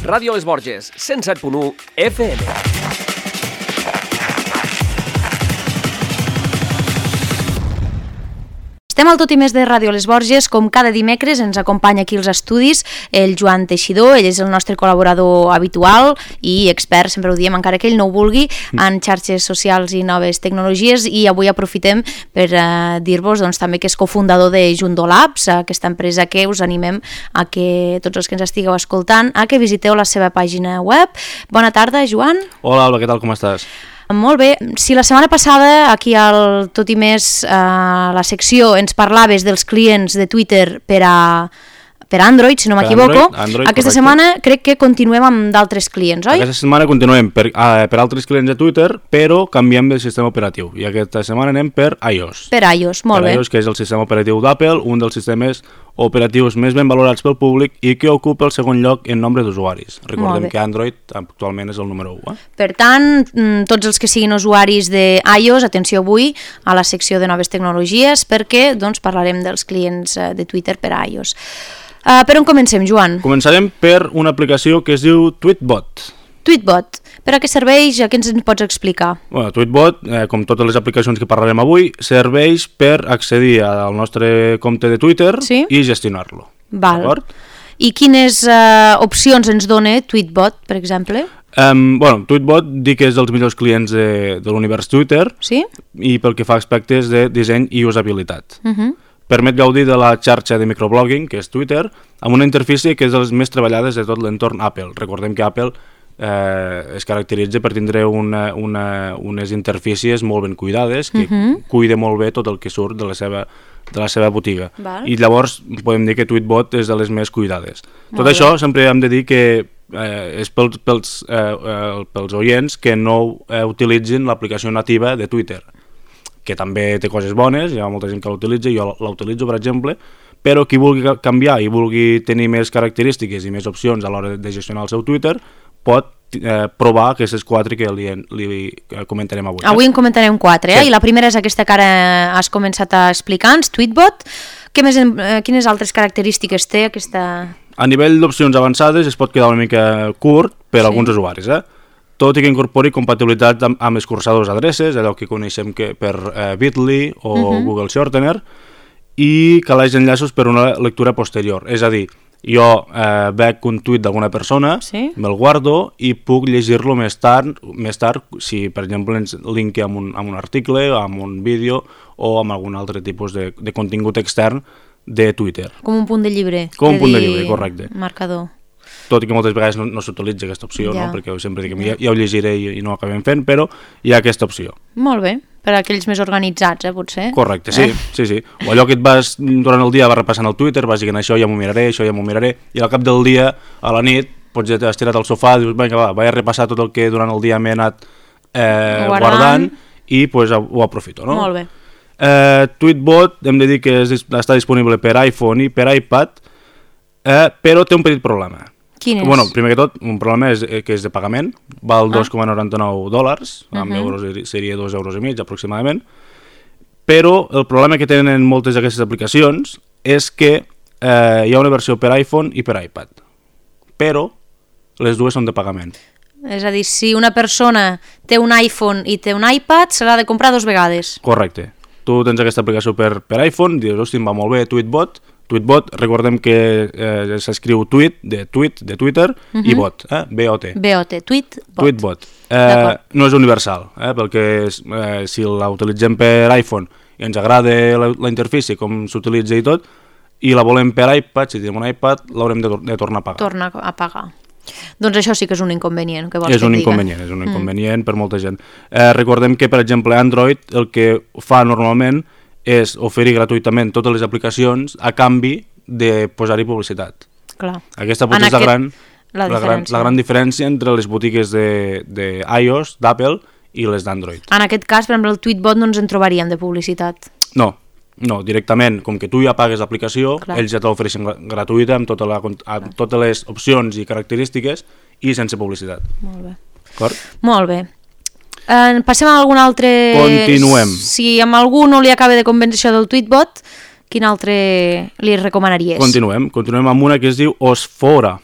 Ràdio Les Borges, 107.1 FM. Estem al Tot i Més de Ràdio Les Borges, com cada dimecres ens acompanya aquí als estudis el Joan Teixidor, ell és el nostre col·laborador habitual i expert, sempre ho diem, encara que ell no ho vulgui, en xarxes socials i noves tecnologies, i avui aprofitem per dir-vos també que és cofundador de Jundo Labs, aquesta empresa que us animem a que tots els que ens estigueu escoltant, a que visiteu la seva pàgina web. Bona tarda, Joan. Hola, Alba, què tal, com estàs? Molt bé. Si la setmana passada aquí al Tot i Més, la secció, ens parlaves dels clients de Twitter per Android, si no m'equivoco, aquesta setmana crec que continuem amb d'altres clients, oi? Aquesta setmana continuem per altres clients de Twitter, però canviem de sistema operatiu, i aquesta setmana anem per iOS. Per iOS, molt bé. Per iOS, que és el sistema operatiu d'Apple, un dels sistemes operatius més ben valorats pel públic i que ocupa el segon lloc en nombre d'usuaris. Recordem que Android actualment és el número 1. Per tant, tots els que siguin usuaris de iOS, atenció avui a la secció de noves tecnologies, perquè parlarem dels clients de Twitter per iOS. Per on comencem, Joan? Començarem per una aplicació que es diu Tweetbot. Tweetbot. Per a què serveix? A què ens pots explicar? Tweetbot, com totes les aplicacions que parlarem avui, serveix per accedir al nostre compte de Twitter i gestionar-lo. D'acord? I quines opcions ens dona Tweetbot, per exemple? Tweetbot dic que és dels millors clients de l'univers Twitter i pel que fa a aspectes de disseny i usabilitat. Permet gaudir de la xarxa de microblogging, que és Twitter, amb una interfície que és de les més treballades de tot l'entorn Apple. Recordem que Apple es caracteritza per tindre unes interfícies molt ben cuidades, que cuida molt bé tot el que surt de la seva botiga. I llavors podem dir que Tweetbot és de les més cuidades. Tot això sempre hem de dir que és pels oients que no utilitzin l'aplicació nativa de Twitter, que també té coses bones, hi ha molta gent que l'utilitza, jo l'utilitzo, per exemple, però qui vulgui canviar i vulgui tenir més característiques i més opcions a l'hora de gestionar el seu Twitter, pot provar aquestes 4 que li comentarem avui. Avui en comentarem 4, i la primera és aquesta que ara has començat a explicar-nos, Tweetbot. Quines altres característiques té aquesta? A nivell d'opcions avançades es pot quedar una mica curt per a alguns usuaris, tot i que incorpori compatibilitat amb escurçadors d'adreces, allò que coneixem per Bitly o Google Shortener, i que caleix enllaços per una lectura posterior. És a dir, jo veig un tuit d'alguna persona, me'l guardo i puc llegir-lo més tard, si per exemple ens linki amb un article, amb un vídeo o amb algun altre tipus de contingut extern de Twitter. Com un punt de llibre. Com un punt de llibre, correcte. Marcador. Tot i que moltes vegades no s'utilitza aquesta opció, perquè sempre dic que ja ho llegiré i no ho acabem fent, però hi ha aquesta opció. Molt bé, per a aquells més organitzats, potser. Correcte, sí. O allò que et vas, durant el dia vas repassant el Twitter, vas dient això ja m'ho miraré, i al cap del dia, a la nit, pots ja estirat al sofà, dius, vinga, vaig a repassar tot el que durant el dia m'he anat guardant i ho aprofito, no? Molt bé. Tweetbot, hem de dir que està disponible per iPhone i per iPad, però té un petit problema. Quin és? Primer que tot, un problema és que és de pagament, val $2,99, amb euros seria €2,5 aproximadament, però el problema que tenen moltes d'aquestes aplicacions és que hi ha una versió per iPhone i per iPad, però les dues són de pagament. És a dir, si una persona té un iPhone i té un iPad, se l'ha de comprar 2 vegades. Correcte. Tu tens aquesta aplicació per iPhone, dius, hosti, em va molt bé, Tweetbot, recordem que s'escriu tweet de Twitter i bot, B-O-T. B-O-T, Tweetbot. No és universal, perquè si la utilitzem per iPhone i ens agrada la interfície, com s'utilitza i tot, i la volem per iPad, si tenim un iPad, l'haurem de tornar a pagar. Tornar a pagar. Doncs això sí que és un inconvenient. És un inconvenient per molta gent. Recordem que, per exemple, Android el que fa normalment és oferir gratuïtament totes les aplicacions a canvi de posar-hi publicitat. Clar. Aquesta potser és la gran diferència entre les botigues d'iOS, d'Apple, i les d'Android. En aquest cas, per exemple, el Tweetbot no ens en trobaríem de publicitat. No, directament, com que tu ja pagues l'aplicació, ells ja te l'ofereixen gratuïta amb totes les opcions i característiques i sense publicitat. Molt bé. D'acord? Molt bé. Passem a algun altre... Continuem. Si amb algú no li acaba de convèncer això del Tweetbot, quin altre li recomanaries? Continuem amb una que es diu Osfora.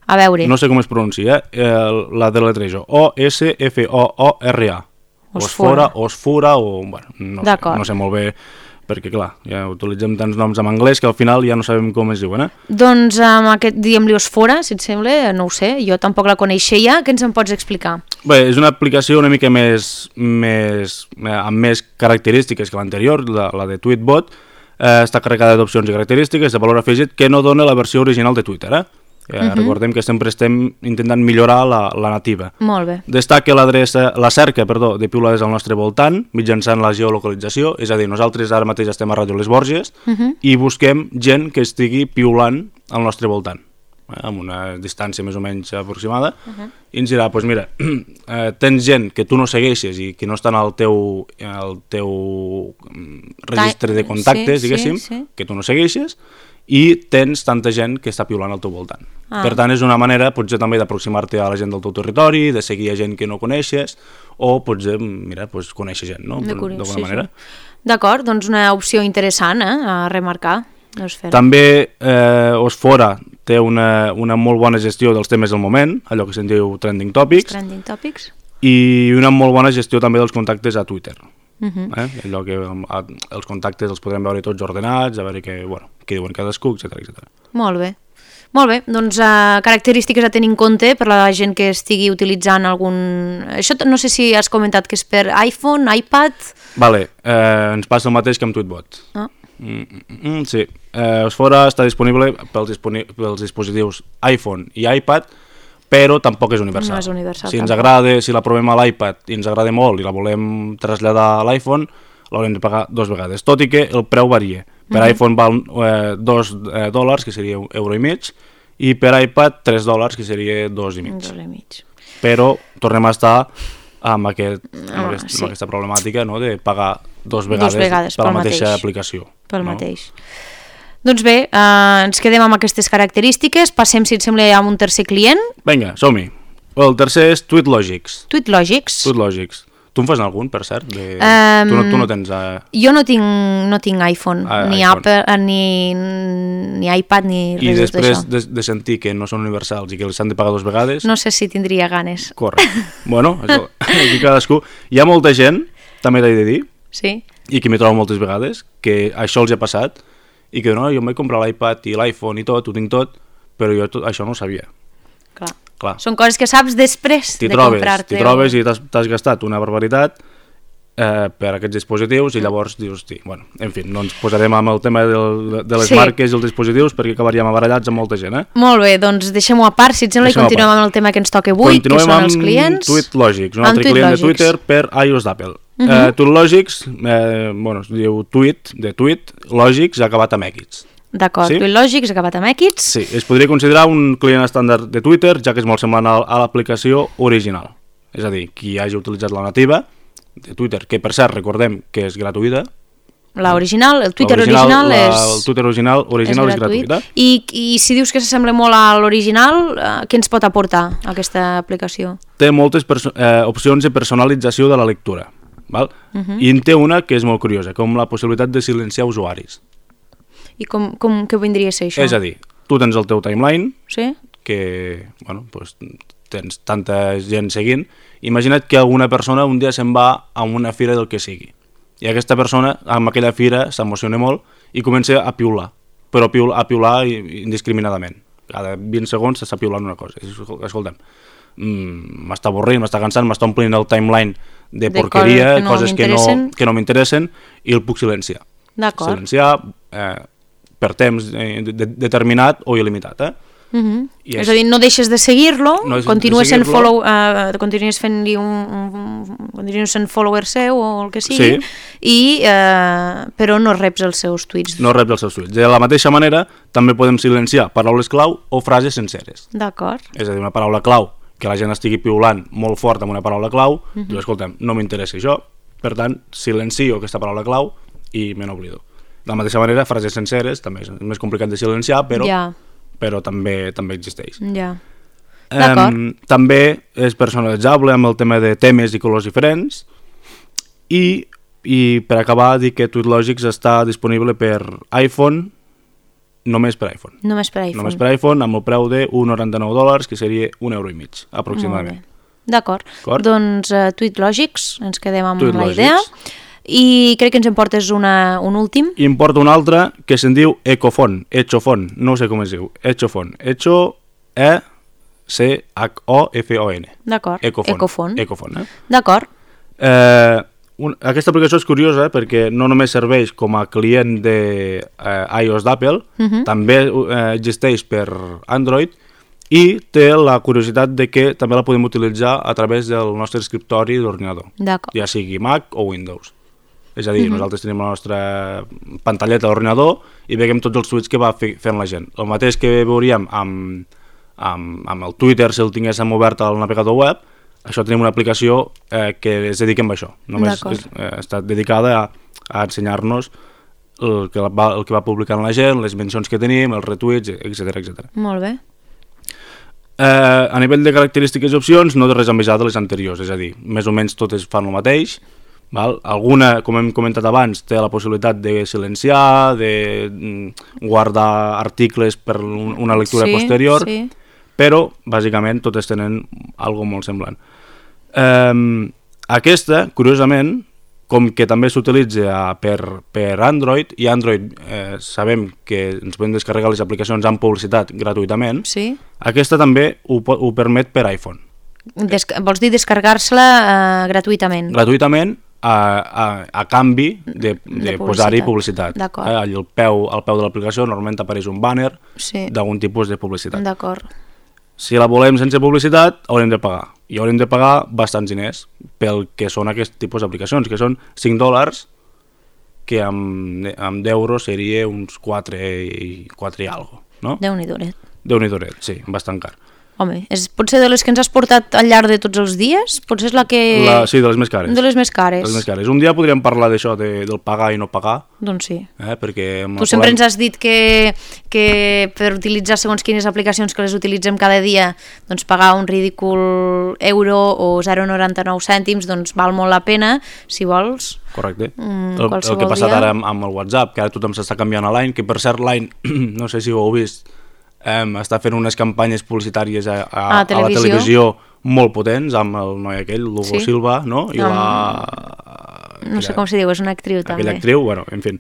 A veure. No sé com es pronuncia, la deletrejo. O-S-F-O-O-R-A. Osfora, o... Bueno, no sé molt bé, perquè clar, ja utilitzem tants noms en anglès que al final ja no sabem com es diuen, Doncs amb aquest, diguem-li Osfora, si et sembla, no ho sé, jo tampoc la coneixia, què ens en pots explicar? Bé, és una aplicació una mica amb més característiques que l'anterior, la de Tweetbot, està carregada d'opcions i característiques de valor afegit que no dona la versió original de Twitter, Recordem que sempre estem intentant millorar la nativa. Molt bé. Destaca la cerca de piulades al nostre voltant mitjançant la geolocalització, és a dir, nosaltres ara mateix estem a Ràdio Les Borges i busquem gent que estigui piulant al nostre voltant, amb una distància més o menys aproximada, i ens dirà, doncs mira, tens gent que tu no segueixes i que no estan al teu registre de contactes, diguéssim, que tu no segueixes, i tens tanta gent que està piulant al teu voltant. Per tant, és una manera potser també d'aproximar-te a la gent del teu territori, de seguir a gent que no coneixes, o potser, mira, conèixer gent, no? D'alguna manera. D'acord, doncs una opció interessant a remarcar. També Osfora té una molt bona gestió dels temes del moment, allò que se'n diu Trending Topics, i una molt bona gestió també dels contactes a Twitter. Allò que els contactes els podrem veure tots ordenats, a veure què diuen cadascú, etc. Molt bé, doncs característiques a tenir en compte per la gent que estigui utilitzant algun... Això no sé si has comentat que és per iPhone, iPad... Vale, ens passa el mateix que amb Tweetbot. Sí, Osfora està disponible pels dispositius iPhone i iPad, però tampoc és universal. No és universal. Si ens agrada, si la provem a l'iPad i ens agrada molt i la volem traslladar a l'iPhone, l'haurem de pagar 2 vegades, tot i que el preu varia. Per iPhone val $2, que seria €1,50, i per iPad $3, que seria $2,50. Però tornem a estar amb aquesta problemàtica de pagar 2 vegades per la mateixa aplicació. Pel mateix. Doncs bé, ens quedem amb aquestes característiques, passem, si et sembla, amb un tercer client. Vinga, som-hi. El tercer és Tweetlogics. Tweetlogics. Tu en fas algun, per cert? Tu no tens... Jo no tinc iPhone, ni Apple, ni iPad, ni res d'això. I després de sentir que no són universals i que els han de pagar 2 vegades... No sé si tindria ganes. Correcte. Bueno, aquí cadascú... Hi ha molta gent, també t'he de dir, i que m'hi trobo moltes vegades, que això els ha passat, i que no, jo em vaig comprar l'iPad i l'iPhone i tot, ho tinc tot, però jo això no ho sabia. Clar. Són coses que saps després de comprar-te. T'hi trobes i t'has gastat una barbaritat per aquests dispositius i llavors dius, bueno, en fi, no ens posarem amb el tema de les marques i els dispositius perquè acabaríem abarallats amb molta gent, Molt bé, doncs deixem-ho a part, si et sembla, i continuem amb el tema que ens toca avui, que són els clients. Continuem amb Tweetlogics, un altre client de Twitter per iOS d'Apple. Tweetlogics, es diu Tweetlogics acabat amb X. D'acord, Tweetlogics acabat amb X. Sí, es podria considerar un client estàndard de Twitter, ja que és molt semblant a l'aplicació original. És a dir, qui hagi utilitzat la nativa de Twitter, que per cert recordem que és gratuïta. El Twitter original és gratuïta. I si dius que s'assembla molt a l'original, què ens pot aportar aquesta aplicació? Té moltes opcions de personalització de la lectura. I en té una que és molt curiosa, com la possibilitat de silenciar usuaris. I què vindria a ser això? És a dir, tu tens el teu timeline, que tens tanta gent seguint, imagina't que alguna persona un dia se'n va a una fira del que sigui, i aquesta persona amb aquella fira s'emociona molt i comença a piular, però a piular indiscriminadament. Cada 20 segons s'està piulant una cosa. Escolta'm, m'està avorrint, m'està cansant, m'està omplint el timeline de porqueria, coses que no m'interessen, i el puc silenciar. Silenciar per temps determinat o il·limitat. És a dir, no deixes de seguir-lo, continues sent follower seu o el que sigui, però no reps els seus tuits. De la mateixa manera, també podem silenciar paraules clau o frases senceres. D'acord. És a dir, una paraula clau, que la gent estigui piulant molt fort amb una paraula clau, diu, escolta'm, no m'interessa això, per tant, silencio aquesta paraula clau i me n'oblido. De la mateixa manera, frases senceres, també és més complicat de silenciar, però també existeix. També és personalitzable amb el tema de temes i colors diferents, i per acabar dir que Tweetlogics està disponible per iPhone només per iPhone. Només per iPhone. Només per iPhone, amb el preu de $1,99, que seria €1,50, aproximadament. D'acord. Doncs Tweetlogics, ens quedem amb la idea. I crec que ens en portes un últim. I em porta un altre que se'n diu Echofon, no sé com es diu, Echofon, E-C-H-O-F-O-N. D'acord, Echofon. D'acord. Aquesta aplicació és curiosa perquè no només serveix com a client de iOS d'Apple, també existeix per Android i té la curiositat de que també la podem utilitzar a través del nostre escriptori d'ordinador, ja sigui Mac o Windows. És a dir, nosaltres tenim la nostra pantalleta d'ordinador i veiem tots els tuits que va fent la gent. El mateix que veuríem amb el Twitter si el tinguéssim obert al navegador web, això tenim una aplicació que es dediquem a això. Només està dedicada a ensenyar-nos el que va publicant la gent, les mencions que tenim, els retuits, etc. Molt bé. A nivell de característiques i opcions, no té res a envejar de les anteriors, és a dir, més o menys totes fan el mateix. Alguna, com hem comentat abans, té la possibilitat de silenciar, de guardar articles per una lectura posterior, però bàsicament totes tenen alguna cosa molt semblant. Aquesta, curiosament, com que també s'utilitza per Android, i Android sabem que ens podem descarregar les aplicacions amb publicitat gratuïtament, aquesta també ho permet per iPhone. Vols dir descarregar-se-la gratuïtament? Gratuïtament, a canvi de posar-hi publicitat. Al peu de l'aplicació normalment apareix un banner d'algun tipus de publicitat. D'acord. Si la volem sense publicitat, haurem de pagar. I haurem de pagar bastants diners pel que són aquest tipus d'aplicacions, que són $5, que amb d'euros seria uns 4 i algo, no? Déu-n'hi-do. Déu-n'hi-do, sí, bastant car. Home, potser de les que ens has portat al llarg de tots els dies? Potser és la que... Sí, de les més cares. De les més cares. Un dia podríem parlar d'això, del pagar i no pagar. Doncs sí. Perquè tu sempre ens has dit que per utilitzar segons quines aplicacions que les utilitzem cada dia, doncs pagar un ridícul euro o 0,99 cèntims, doncs val molt la pena, si vols. Correcte. El que ha passat ara amb el WhatsApp, que ara tothom s'està canviant a Line, que per cert Line, no sé si ho heu vist, està fent unes campanyes publicitàries a la televisió molt potents, amb el noi aquell, l'Hugo Silva, no? I no sé com se diu, és una actriu també. Aquella actriu, bueno, en fi.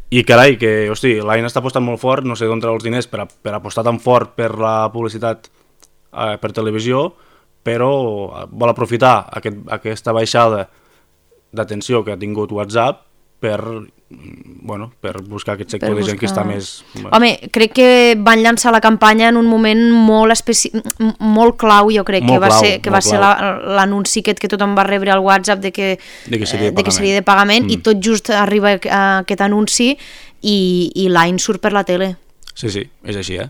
I carai, que, hosti, Line està apostant molt fort, no sé d'on treu els diners per apostar tan fort per la publicitat per televisió, però vol aprofitar aquesta baixada d'atenció que ha tingut WhatsApp per buscar aquest sector de gent que està més... Home, crec que van llançar la campanya en un moment molt clau, jo crec, que va ser l'anunci que tothom va rebre al WhatsApp de que seria de pagament, i tot just arriba aquest anunci i Line surt per la tele. Sí, és així,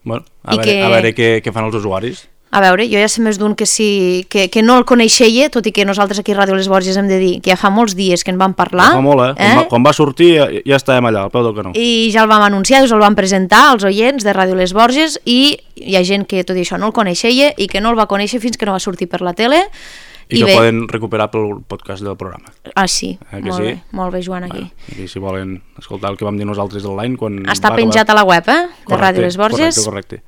Bueno, a veure què fan els usuaris. A veure, jo ja sé més d'un que no el coneixia, tot i que nosaltres aquí a Ràdio Les Borges hem de dir que ja fa molts dies que en vam parlar. Ja fa molt, Quan va sortir ja estàvem allà, al peu del canó. I ja el vam anunciar, us el vam presentar als oients de Ràdio Les Borges, i hi ha gent que tot i això no el coneixia i que no el va conèixer fins que no va sortir per la tele. I que poden recuperar pel podcast del programa. Sí, molt bé, Joan, aquí. I si volen escoltar el que vam dir nosaltres online... Està penjat a la web, de Ràdio Les Borges. Correcte.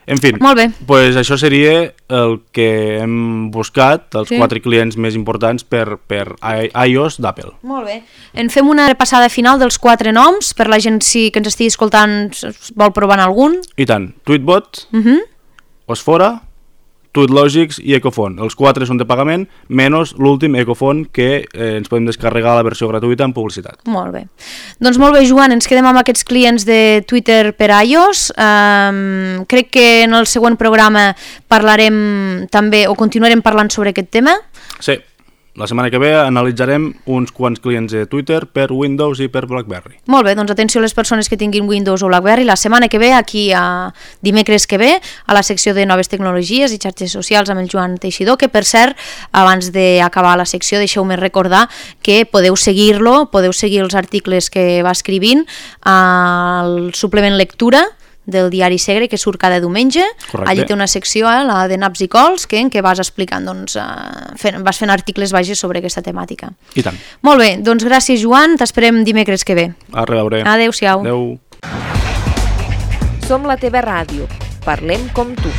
En fi, doncs això seria el que hem buscat, els 4 clients més importants per iOS d'Apple. Molt bé. En fem una repassada final dels 4 noms, per la gent que ens estigui escoltant vol provar algun. I tant. Tweetbot, Osfora, Tweetlogics i Echofon. Els 4 són de pagament, menys l'últim Echofon, que ens podem descarregar la versió gratuïta amb publicitat. Molt bé. Doncs molt bé, Joan, ens quedem amb aquests clients de Twitter per iOS. Crec que en el següent programa parlarem també, o continuarem parlant sobre aquest tema. Sí. La setmana que ve analitzarem uns quants clients de Twitter per Windows i per BlackBerry. Molt bé, doncs atenció a les persones que tinguin Windows o BlackBerry. La setmana que ve, aquí a dimecres que ve, a la secció de noves tecnologies i xarxes socials amb el Joan Teixidor, que per cert, abans d'acabar la secció, deixeu-me recordar que podeu seguir-lo, podeu seguir els articles que va escrivint al suplement lectura del diari Segre, que surt cada diumenge. Correcte. Allí té una secció, la de naps i cols, en què vas explicant, vas fent articles sobre aquesta temàtica. I tant. Molt bé, doncs gràcies, Joan, t'esperem dimecres que ve. A reveure. Adéu-siau. Adéu. Som la teva ràdio. Parlem com tu.